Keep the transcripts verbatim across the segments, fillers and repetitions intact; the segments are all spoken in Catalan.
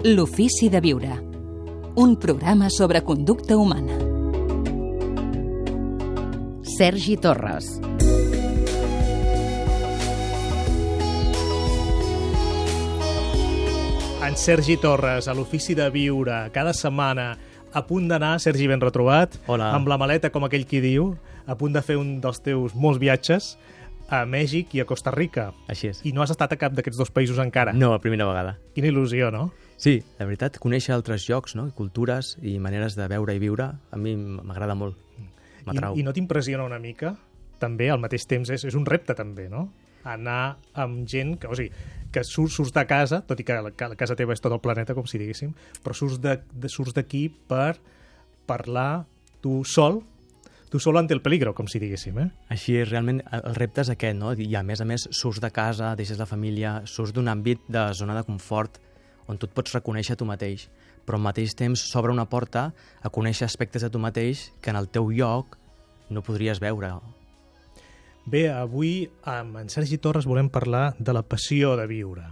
L'ofici de viure. Un programa sobre conducta humana. Sergi Torres. En Sergi Torres, a l'ofici de viure, cada setmana, a punt d'anar, Sergi, ben retrobat, Hola. amb la maleta, com aquell qui diu, a punt de fer un dels teus molts viatges a Mèxic i a Costa Rica. Així és. I no has estat a cap d'aquests dos països encara. No, la primera vegada. Quina il·lusió, no? Sí, la veritat, conèixer altres llocs, no? cultures i maneres de veure i viure, a mi m'agrada molt. M'atrau. I, I no t'impressiona una mica? També, al mateix temps, és, és un repte, també, no? Anar amb gent que, o sigui, que surts, surts de casa, tot i que la, que la casa teva és tot el planeta, com si diguéssim, però surts de, de, surts d'aquí per parlar tu sol, tu sol ante el peligro, com si diguéssim, eh? Així és, realment, el repte és aquest, no? I a més a més, surts de casa, deixes la família, surts d'un àmbit de zona de confort on tu et pots reconèixer tu mateix, però al mateix temps s'obre una porta a conèixer aspectes de tu mateix que en el teu lloc no podries veure. Bé, avui amb en Sergi Torres volem parlar de la passió de viure.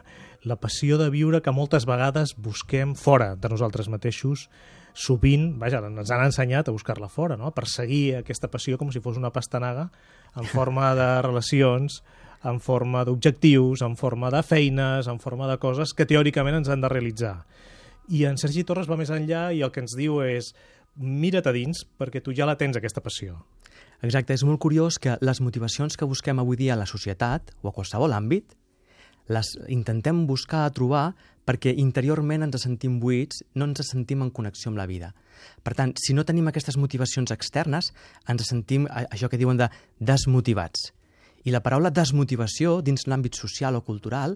La passió de viure que moltes vegades busquem fora de nosaltres mateixos. Sovint, vaja, ens han ensenyat a buscar-la fora, no? A perseguir aquesta passió com si fos una pastanaga en forma de relacions, en forma d'objectius, en forma de feines, en forma de coses que teòricament ens han de realitzar. I en Sergi Torres va més enllà i el que ens diu és mira't a dins perquè tu ja la tens, aquesta passió. Exacte, és molt curiós que les motivacions que busquem avui dia a la societat o a qualsevol àmbit les intentem buscar, trobar, perquè interiorment ens sentim buits, no ens sentim en connexió amb la vida. Per tant, si no tenim aquestes motivacions externes, ens sentim això que diuen de desmotivats. I la paraula desmotivació dins l'àmbit social o cultural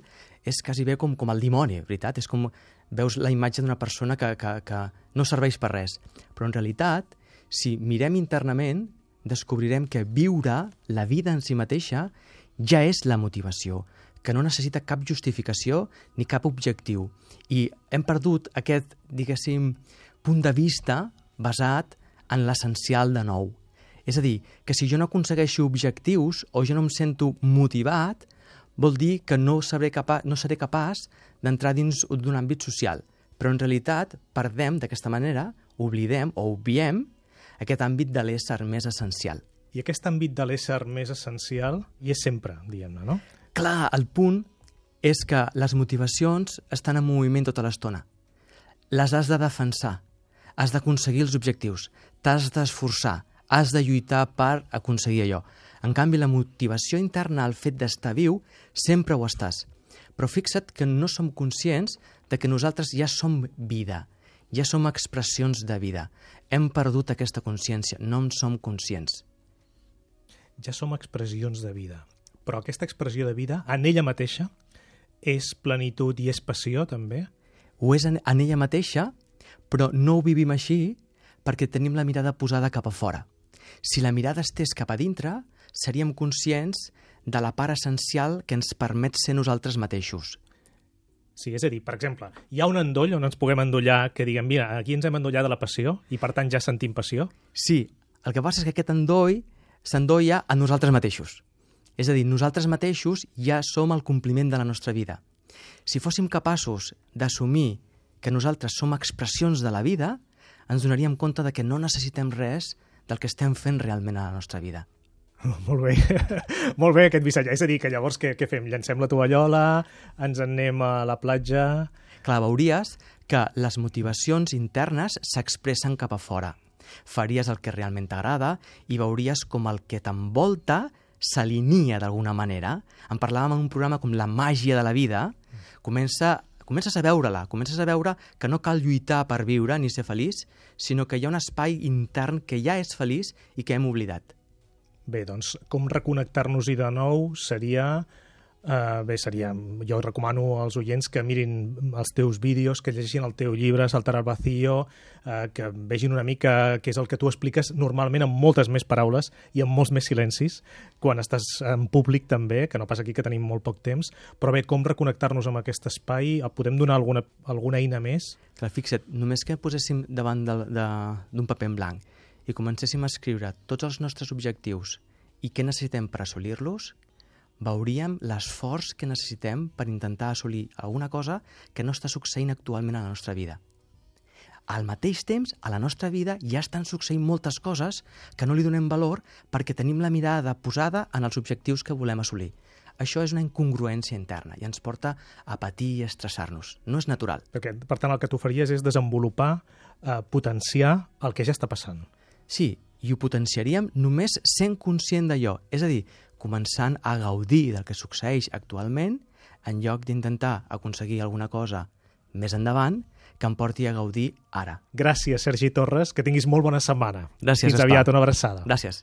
és quasi bé com, com el dimoni, veritat? És com veus la imatge d'una persona que, que, que no serveix per res. Però en realitat, si mirem internament, descobrirem que viure la vida en si mateixa ja és la motivació, que no necessita cap justificació ni cap objectiu. I hem perdut aquest, diguéssim, punt de vista basat en l'essencial de nou. És a dir, que si jo no aconsegueixo objectius o jo no em sento motivat, vol dir que no seré capaç, no seré capaç d'entrar dins d'un àmbit social. Però en realitat perdem d'aquesta manera, oblidem o obviem aquest àmbit de l'ésser més essencial. I aquest àmbit de l'ésser més essencial hi és sempre, diguem-ne, no? Clar, el punt és que les motivacions estan en moviment tota l'estona. Les has de defensar, has d'aconseguir els objectius, t'has d'esforçar, has de lluitar per aconseguir allò. En canvi, la motivació interna, el fet d'estar viu, sempre ho estàs. Però fixa't que no som conscients de que nosaltres ja som vida, ja som expressions de vida. Hem perdut aquesta consciència, no en som conscients. Ja som expressions de vida. Però aquesta expressió de vida, en ella mateixa, és plenitud i és passió, també? Ho és en, en ella mateixa, però no ho vivim així perquè tenim la mirada posada cap a fora. Si la mirada estés cap a dintre, seríem conscients de la part essencial que ens permet ser nosaltres mateixos. Sí, és a dir, per exemple, hi ha un endoll on ens puguem endollar que diguem, mira, aquí ens hem endollat de la passió i per tant ja sentim passió? Sí, el que passa és que aquest endoll s'endolla a nosaltres mateixos. És a dir, nosaltres mateixos ja som el compliment de la nostra vida. Si fóssim capaços d'assumir que nosaltres som expressions de la vida, ens donaríem compte de que no necessitem res del que estem fent realment a la nostra vida. Oh, molt bé, molt bé aquest missatge. És a dir, que llavors què, què fem? Llancem la tovallola, ens en anem a la platja... Clar, veuries que les motivacions internes s'expressen cap a fora. Faries el que realment t'agrada i veuries com el que t'envolta s'alinia d'alguna manera. En parlàvem en un programa com La màgia de la vida. Comença, comences a veure-la, comences a veure que no cal lluitar per viure ni ser feliç, sinó que hi ha un espai intern que ja és feliç i que hem oblidat. Bé, doncs, com reconnectar-nos-hi de nou seria... Uh, bé, seria... Jo recomano als oients que mirin els teus vídeos, que llegeixin el teu llibre, Saltar al vacío, uh, que vegin una mica què és el que tu expliques normalment amb moltes més paraules i amb molts més silencis, quan estàs en públic també, que no passa aquí que tenim molt poc temps, però bé, com reconnectar-nos amb aquest espai? Podem donar alguna, alguna eina més? Clar, fixa't, només que poséssim davant de, de, d'un paper en blanc i comencéssim a escriure tots els nostres objectius i què necessitem per assolir-los, veuríem l'esforç que necessitem per intentar assolir alguna cosa que no està succeint actualment a la nostra vida. Al mateix temps, a la nostra vida ja estan succeint moltes coses que no li donem valor perquè tenim la mirada posada en els objectius que volem assolir. Això és una incongruència interna i ens porta a patir i a estressar-nos. No és natural. Perquè, per tant, el que tu faries és desenvolupar, eh, potenciar el que ja està passant. Sí, i ho potenciaríem només sent conscient d'allò. És a dir, començant a gaudir del que succeeix actualment en lloc d'intentar aconseguir alguna cosa més endavant que em porti a gaudir ara. Gràcies, Sergi Torres, que tinguis molt bona setmana. Gràcies, Fins Gaspar. aviat, una abraçada. Gràcies.